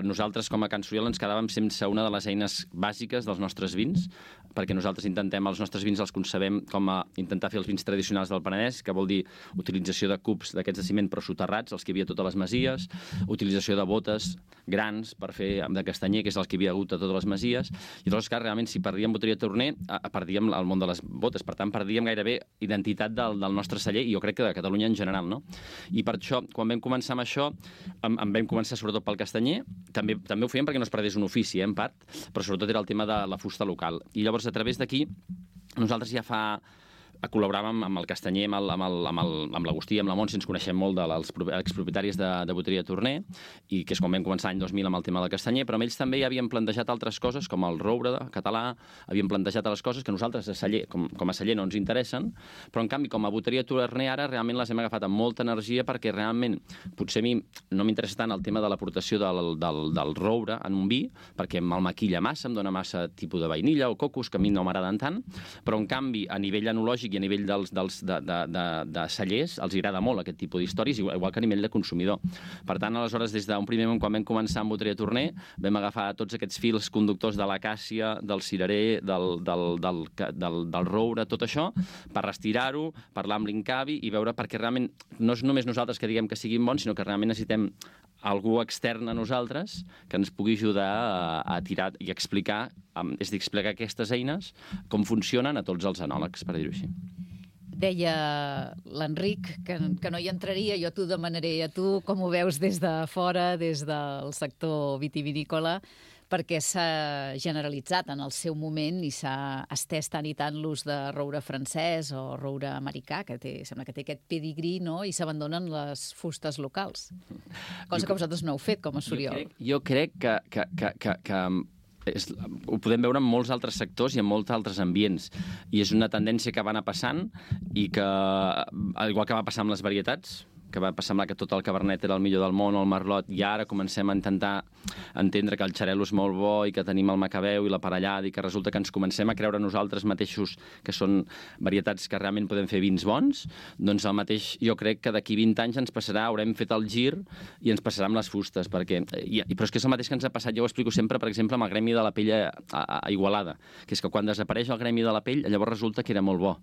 nosaltres com a Can Soriol ens quedàvem sense una de les eines bàsiques dels nostres vins, perquè nosaltres els nostres vins els concebem com a intentar fer els vins tradicionals del Penedès, que vol dir utilització de cubs d'aquests de ciment però soterrats, els que hi havia a totes les masies, utilització de botes grans per fer de castanyer, que és els que hi havia hagut a totes les masies, i llavors, clar, realment, si perdíem Boteria Torner, perdíem el món de les botes, per tant, perdíem gairebé identitat del nostre celler, i jo crec que de Catalunya en general, no? I per això, quan vam començar amb això, vam començar sobretot pel castanyer, també ho fèiem perquè no es perdés un ofici, en part, però sobretot era el tema de la fusta local. I llavors, a través d'aquí, nosaltres ja fa col·laboràvem amb el Castanyer, amb l'Agustí, amb la Montse, ens coneixem molt dels expropietaris de Boteria Torner, i que és quan vam començar l'any 2000 amb el tema del Castanyer, però amb ells també ja havien plantejat altres coses, com el roure català, havien plantejat altres coses que nosaltres a celler, com a celler no ens interessen, però en canvi com a Boteria Torner ara realment les hem agafat amb molta energia perquè realment potser a mi no m'interessa tant el tema de l'aportació del roure en un vi, perquè me'l maquilla massa, em dona massa tipus de vainilla o cocos, que a mi no m'agraden tant, però en canvi a nivell enològic i a nivell de cellers els agrada molt aquest tipus d'històries, igual que a nivell de consumidor. Per tant, aleshores, des d'un primer moment, quan vam començar amb Boteria Torner, vam agafar tots aquests fils conductors de l'acàcia, del cirerer, del roure, tot això, per restirar-ho, parlar amb l'Incavi i veure, perquè realment no és només nosaltres que diguem que siguin bons, sinó que realment necessitem algú extern a nosaltres que ens pugui ajudar a tirar i explicar, és a dir, explicar aquestes eines, com funcionen a tots els enòlegs, per dir-ho així. Deia l'Enric que no hi entraria, jo t'ho demanaré a tu, com ho veus des de fora, des del sector vitivinícola, perquè s'ha generalitzat en el seu moment i s'ha estès tant i tant l'ús de roure francès o roure americà, que sembla que té aquest pedigrí, no? I s'abandonen les fustes locals. Cosa que vosaltres no heu fet, com a Soriol. Jo crec que ho podem veure en molts altres sectors i en molts altres ambients. I és una tendència que va anar passant i que, igual que va passar amb les varietats, que va semblar que tot el Cabernet era el millor del món o el Merlot, i ara comencem a intentar entendre que el Xarel·lo és molt bo i que tenim el Macabeu i la Parellada i que resulta que ens comencem a creure nosaltres mateixos que són varietats que realment podem fer vins bons, doncs el mateix jo crec que d'aquí 20 anys ens passarà, haurem fet el gir i ens passarà amb les fustes, però és que és el mateix que ens ha passat, jo ho explico sempre, per exemple, amb el gremi de la pell a Igualada, que és que quan desapareix el gremi de la pell, llavors resulta que era molt bo.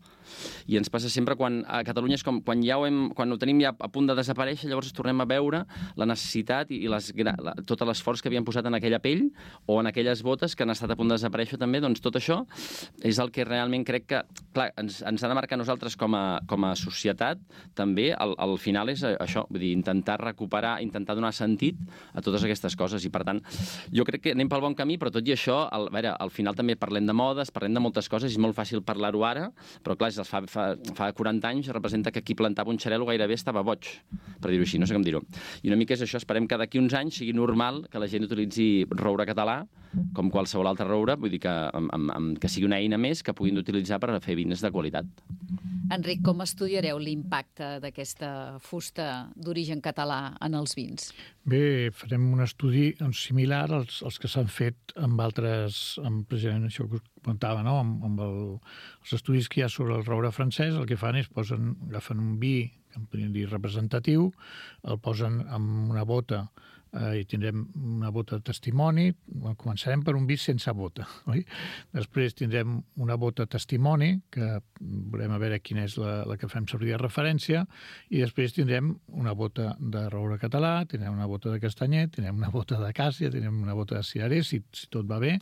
I ens passa sempre quan a Catalunya és com quan ho tenim ja a punt de desaparèixer, llavors tornem a veure la necessitat i tot l'esforç que havien posat en aquella pell o en aquelles botes que han estat a punt de desaparèixer també, doncs tot això és el que realment crec que, clar, ens ha de marcar nosaltres com a societat també, al final és això, vull dir, intentar recuperar, intentar donar sentit a totes aquestes coses, i per tant jo crec que anem pel bon camí, però tot i això, al final també parlem de modes, parlem de moltes coses, és molt fàcil parlar-ho ara, però clar, fa 40 anys representa que qui plantava un xarel·lo gairebé estava boig, per dir-ho així, no sé com dir-ho. I una mica és això, esperem que d'aquí uns anys sigui normal que la gent utilitzi roure català com qualsevol altre roure, vull dir que sigui una eina més que puguin utilitzar per fer vins de qualitat. Enric, com estudiareu l'impacte d'aquesta fusta d'origen català en els vins? Bé, farem un estudi similar als que s'han fet amb altres, precisament això que us comentava, no? amb els estudis que hi ha sobre el roure francès, el que fan és agafen un vi, que en podríem dir representatiu, el posen en una bota i tindrem una bota de testimoni. Començarem per un vi sense bota, oi? Després tindrem una bota testimoni, que veurem a veure quina és la que fem servir de referència, i després tindrem una bota de roure català, tindrem una bota de castanyer, tindrem una bota d'acàcia, tindrem una bota de cirerer, si tot va bé,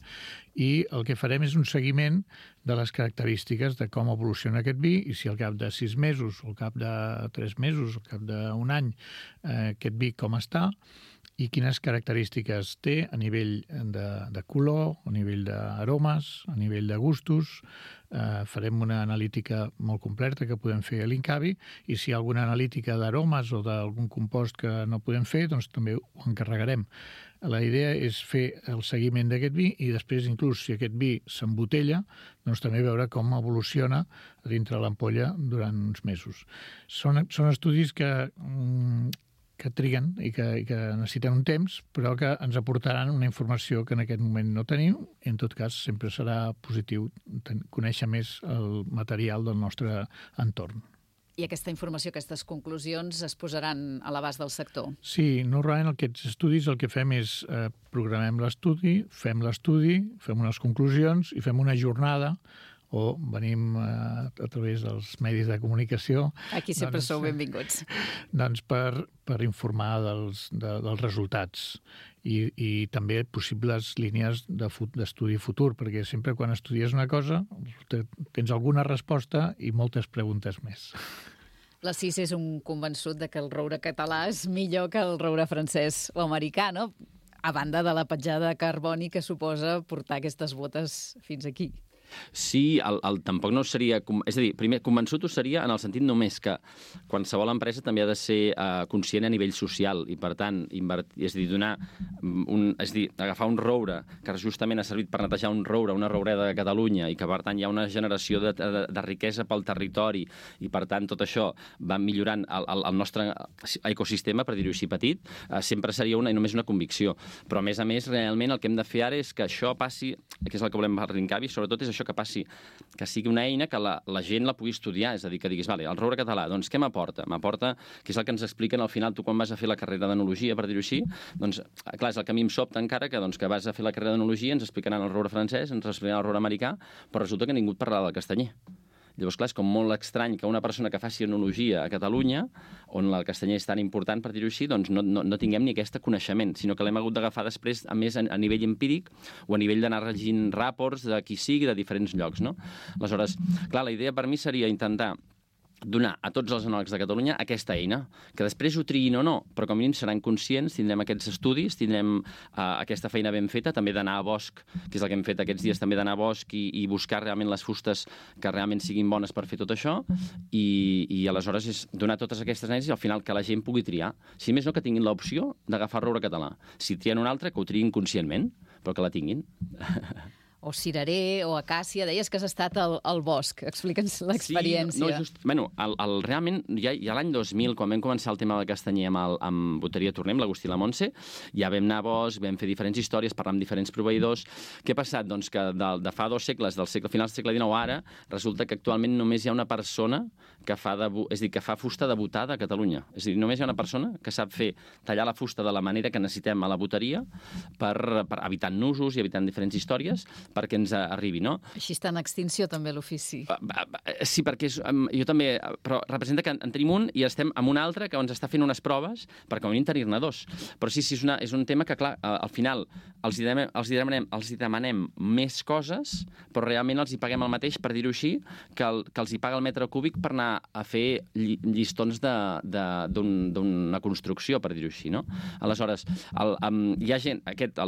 i el que farem és un seguiment de les característiques de com evoluciona aquest vi i si al cap de 6 mesos, o al cap de 3 mesos, o al cap d'un any, aquest vi com està, i quines característiques té a nivell de color, a nivell d'aromes, a nivell de gustos. Farem una analítica molt completa que podem fer a l'Incavi, i si hi ha alguna analítica d'aromes o d'algun compost que no podem fer, doncs també ho encarregarem. La idea és fer el seguiment d'aquest vi i després, inclús, si aquest vi s'embotella, doncs també veure com evoluciona dintre l'ampolla durant uns mesos. Són estudis que triguen i que necessiten un temps, però que ens aportaran una informació que en aquest moment no tenim, i en tot cas sempre serà positiu conèixer més el material del nostre entorn. I aquesta informació, aquestes conclusions es posaran a l'abast del sector? Sí, normalment aquests estudis el que fem és programem l'estudi, fem unes conclusions i fem una jornada, o venim a través dels medis de comunicació. Aquí sempre sou benvinguts. Doncs per informar dels resultats i també possibles línies d'estudi futur, perquè sempre quan estudies una cosa tens alguna resposta i moltes preguntes més. L'Assis és un convençut de que el roure català és millor que el roure francès o americà, no? A banda de la petjada de carboni que suposa portar aquestes botes fins aquí. Sí, tampoc no seria... És a dir, primer, convençut ho seria en el sentit només que qualsevol empresa també ha de ser conscient a nivell social i, per tant, és a dir, agafar un roure que justament ha servit per netejar un roure, una roureda de Catalunya, i que, per tant, hi ha una generació de riquesa pel territori i, per tant, tot això va millorant el nostre ecosistema, per dir-ho així petit, sempre seria només una convicció. Però, a més, realment el que hem de fer ara és que això passi, que és el que volem arrencar, i sobretot és això que passi, que sigui una eina que la gent la pugui estudiar, és a dir, que diguis, vale, el roure català, doncs què m'aporta? M'aporta, que és el que ens expliquen al final, tu quan vas a fer la carrera d'enologia, per dir-ho així, doncs, clar, és el que a mi em sobta encara, que vas a fer la carrera d'enologia, ens explicaran el roure francès, ens explicaran el roure americà, però resulta que ningú et parlarà del castanyer. Llavors, clar, és com molt estrany que una persona que faci enologia a Catalunya, on el castanyer és tan important, per dir-ho així, doncs no tinguem ni aquest coneixement, sinó que l'hem hagut d'agafar després, a més, a nivell empíric o a nivell d'anar regint ràports de qui sigui de diferents llocs, no? Aleshores, clar, la idea per mi seria intentar donar a tots els enòlegs de Catalunya aquesta eina, que després ho triïn o no, però com a mínim seran conscients, tindrem aquests estudis, tindrem aquesta feina ben feta, també d'anar a bosc, que és el que hem fet aquests dies, també d'anar a bosc i buscar realment les fustes que realment siguin bones per fer tot això, i aleshores és donar totes aquestes eines i al final que la gent pugui triar. Si més no, que tinguin l'opció d'agafar roure català. Si trien una altra, que ho triïn conscientment, però que la tinguin. O cirerer, o acàcia. Deies que has estat al bosc. Explica'ns l'experiència. Sí, realment, ja l'any 2000, quan vam començar el tema del castanyer amb Boteria Tornem, l'Agustí i la Montse, ja vam anar a bosc, vam fer diferents històries, parlar amb diferents proveïdors. Què ha passat? Doncs que de fa 2 segles, final del segle XIX ara, resulta que actualment només hi ha una persona que fa fusta de botada a Catalunya. És a dir, només hi ha una persona que sap tallar la fusta de la manera que necessitem a la boteria per evitar nusos i evitant diferents històries, perquè ens arribi, no? Així està en extinció, també, l'ofici. Sí, perquè jo també... Però representa que en tenim un i estem amb un altre que ens està fent unes proves per com a mínim tenir-ne 2. Però sí, és un tema que, clar, al final els demanem més coses, però realment els hi paguem el mateix, per dir-ho així, que els hi paga el metre cúbic per anar a fer llistons d'una construcció, per dir-ho així, no? Aleshores, hi ha gent,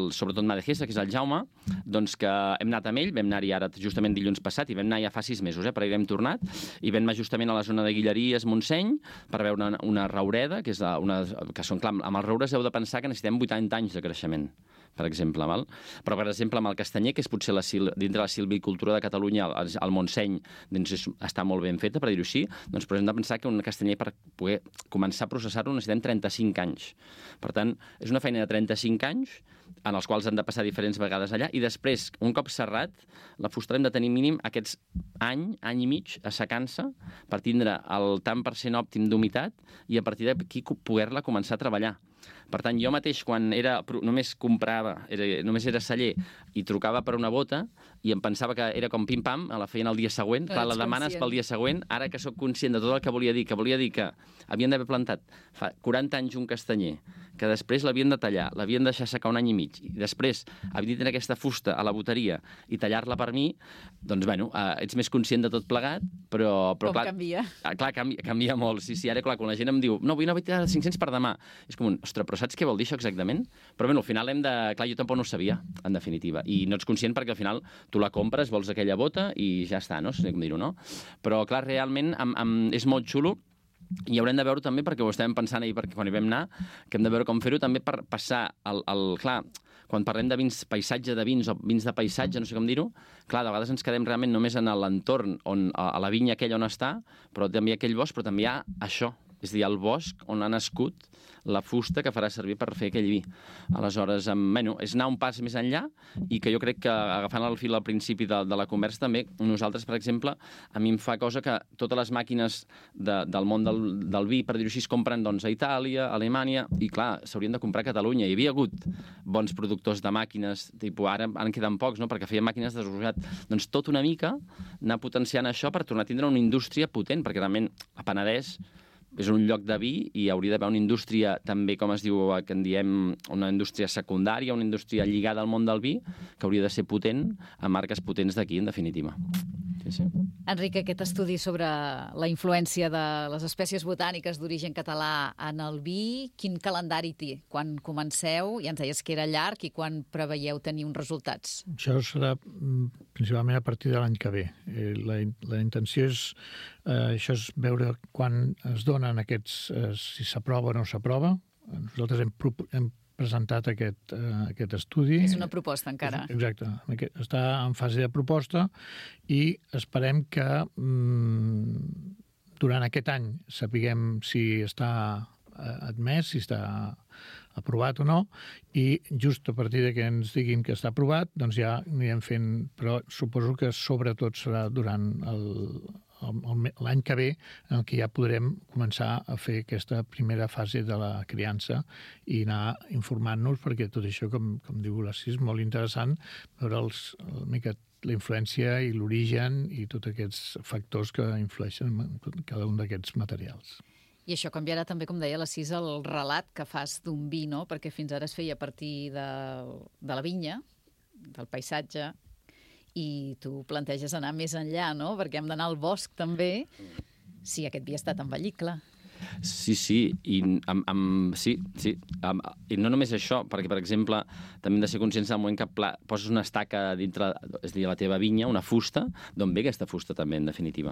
sobretot Madejesa, que és el Jaume, doncs que hem anat amb ell, vam anar-hi ara justament dilluns passat, i vam anar ja fa 6 mesos, però hi hem tornat, i vam anar justament a la zona de Guilleries, Montseny, per veure una raureda, que són, clar, amb els roures heu de pensar que necessitem 80 anys de creixement, per exemple, val? Però, per exemple, amb el castanyer, que és potser dintre la silvicultura de Catalunya, el Montseny, doncs està molt ben feta, per dir-ho així, doncs però hem de pensar que un castanyer, per poder començar a processar-lo, necessitem 35 anys. Per tant, és una feina de 35 anys, en els quals han de passar diferents vegades allà, i després, un cop serrat, la fusta hem de tenir mínim aquests any i mig assecant-se per tindre el tant per cent òptim d'humitat i a partir d'aquí poder-la començar a treballar. Per tant, jo mateix, quan només comprava, només era celler, i trucava per una bota, i em pensava que era com pim-pam, la feien el dia següent, clar, la demanes pel dia següent, ara que sóc conscient de tot el que volia dir que havien d'haver plantat fa 40 anys un castanyer, que després l'havien de tallar, l'havien de deixar secar 1 any i mig, i després havia de tenir aquesta fusta a la boteria i tallar-la per mi, doncs, bueno, ets més conscient de tot plegat, però com clar, canvia? Clar, canvia molt. Sí, ara, clar, quan la gent em diu, no, vull anar a 500 per demà, és com ostres, però saps què vol dir això exactament? Però bé, al final clar, jo tampoc no ho sabia, en definitiva, i no ets conscient perquè al final tu la compres, vols aquella bota i ja està, no? No sé com dir-ho, no? Però, clar, realment és molt xulo. I haurem de veure també, perquè ho estàvem pensant ahir quan hi vam anar, que hem de veure com fer-ho també per passar clar, quan parlem de vins, paisatge de vins o vins de paisatge, no sé com dir-ho, clar, de vegades ens quedem realment només en l'entorn, a la vinya aquella on està, però també hi ha aquell bosc, però també hi ha això, és a dir, el bosc on ha nascut la fusta que farà servir per fer aquell vi. Aleshores, és anar un pas més enllà i que jo crec que, agafant el fil al principi de la conversa, també nosaltres, per exemple, a mi em fa cosa que totes les màquines del món del vi, per dir-ho així, es compren a Itàlia, a Alemanya, i clar, s'haurien de comprar a Catalunya. Hi havia hagut bons productors de màquines, ara en queden pocs, no?, perquè feien màquines desenvolupat. Doncs tot una mica anar potenciant això per tornar a tindre una indústria potent, perquè realment a Penedès és un lloc de vi i hauria d'haver una indústria també, com es diu, que en diem una indústria secundària, una indústria lligada al món del vi, que hauria de ser potent, amb marques potents d'aquí, en definitiva. Sí. Enric, aquest estudi sobre la influència de les espècies botàniques d'origen català en el vi, quin calendari té? Quan comenceu, ja ens deies que era llarg, i quan preveieu tenir uns resultats? Això serà principalment a partir de l'any que ve. La intenció és, això és veure quan es donen aquests, si s'aprova o no s'aprova. Nosaltres hem presentat aquest estudi. És una proposta encara. Exacte. Està en fase de proposta i esperem que durant aquest any sapiguem si està admès, si està aprovat o no, i just a partir de que ens diguin que està aprovat, doncs ja anirem fent, però suposo que sobretot serà durant l'any que ve en què ja podrem començar a fer aquesta primera fase de la criança i anar informant-nos, perquè tot això, com diu l'Assis, és molt interessant veure la influència i l'origen i tots aquests factors que influeixen en cada un d'aquests materials. I això canviarà també, com deia l'Assis, el relat que fas d'un vi, no? Perquè fins ara es feia a partir de la vinya, del paisatge, i tu planteges anar més enllà, no? Perquè hem d'anar al bosc també, si aquest vi ha estat envellit, clar. Sí, i i no només això, perquè, per exemple, també hem de ser conscients del moment que poses una estaca dintre, és a dir, la teva vinya, una fusta, d'on ve aquesta fusta també, en definitiva.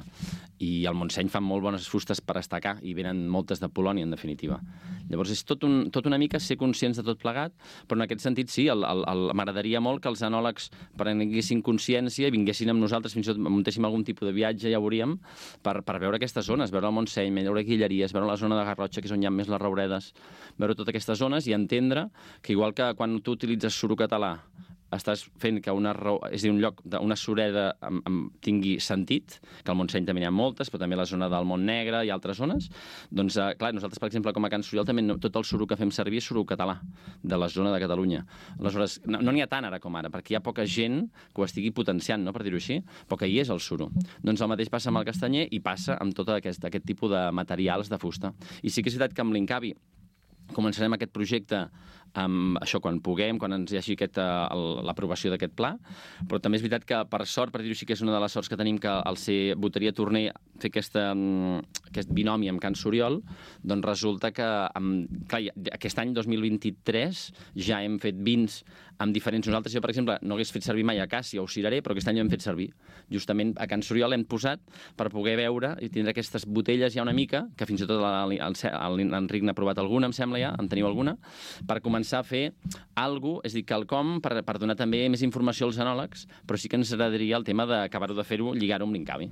I al Montseny fan molt bones fustes per estacar, i venen moltes de Polònia, en definitiva. Llavors, és tot una mica ser conscients de tot plegat, però en aquest sentit, sí, m'agradaria molt que els enòlegs prenguessin consciència i vinguessin amb nosaltres, fins i tot muntéssim algun tipus de viatge, ja ho veuríem, per veure aquestes zones, veure el Montseny, veure Guilleries, veure la zona de Garrotxa, que és on hi ha més les rouredes, veure totes aquestes zones i entendre que igual que quan tu utilitzes suro català estàs fent que un lloc d'una sureda tingui sentit, que al Montseny també n'hi ha moltes, però també la zona del Montnegre i altres zones, doncs, clar, nosaltres, per exemple, com a Can Soriol, també tot el suro que fem servir és suro català, de la zona de Catalunya. Aleshores, no n'hi ha tant ara com ara, perquè hi ha poca gent que ho estigui potenciant, no?, per dir-ho així, però que hi és el suro. Doncs el mateix passa amb el castanyer i passa amb tot aquest tipus de materials de fusta. I sí que és veritat que amb l'Incavi començarem aquest projecte amb això quan puguem, quan ens hi hagi l'aprovació d'aquest pla, però també és veritat que, per sort, per dir-ho així, que és una de les sorts que tenim, que al ser Boteria Torner fer aquest binomi amb Can Soriol, doncs resulta que, clar, aquest any 2023 ja hem fet vins amb diferents. Nosaltres, jo, per exemple, no hagués fet servir mai Acàcia o Cireré, però aquest any ho hem fet servir. Justament a Can Soriol hem posat per poder veure i tindre aquestes botelles ja una mica, que fins i tot l'Enric n'ha provat alguna, em sembla ja, en teniu alguna, per començar a fer alguna cosa, és a dir, quelcom per donar també més informació als enòlegs, però sí que ens agradaria el tema d'acabar-ho de fer-ho, lligar-ho amb l'Incavi.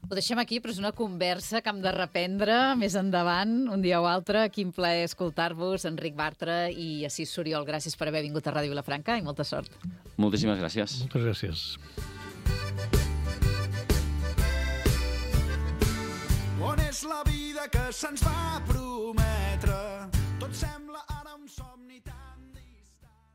Ho deixem aquí, però és una conversa que hem de reprendre més endavant, un dia o altre. Quin plaer escoltar-vos, Enric Bartra i Assis Soriol. Gràcies per haver vingut a Ràdio Vilafranca i molta sort. Moltíssimes gràcies. Moltes gràcies. On és la vida que se'ns va prometre?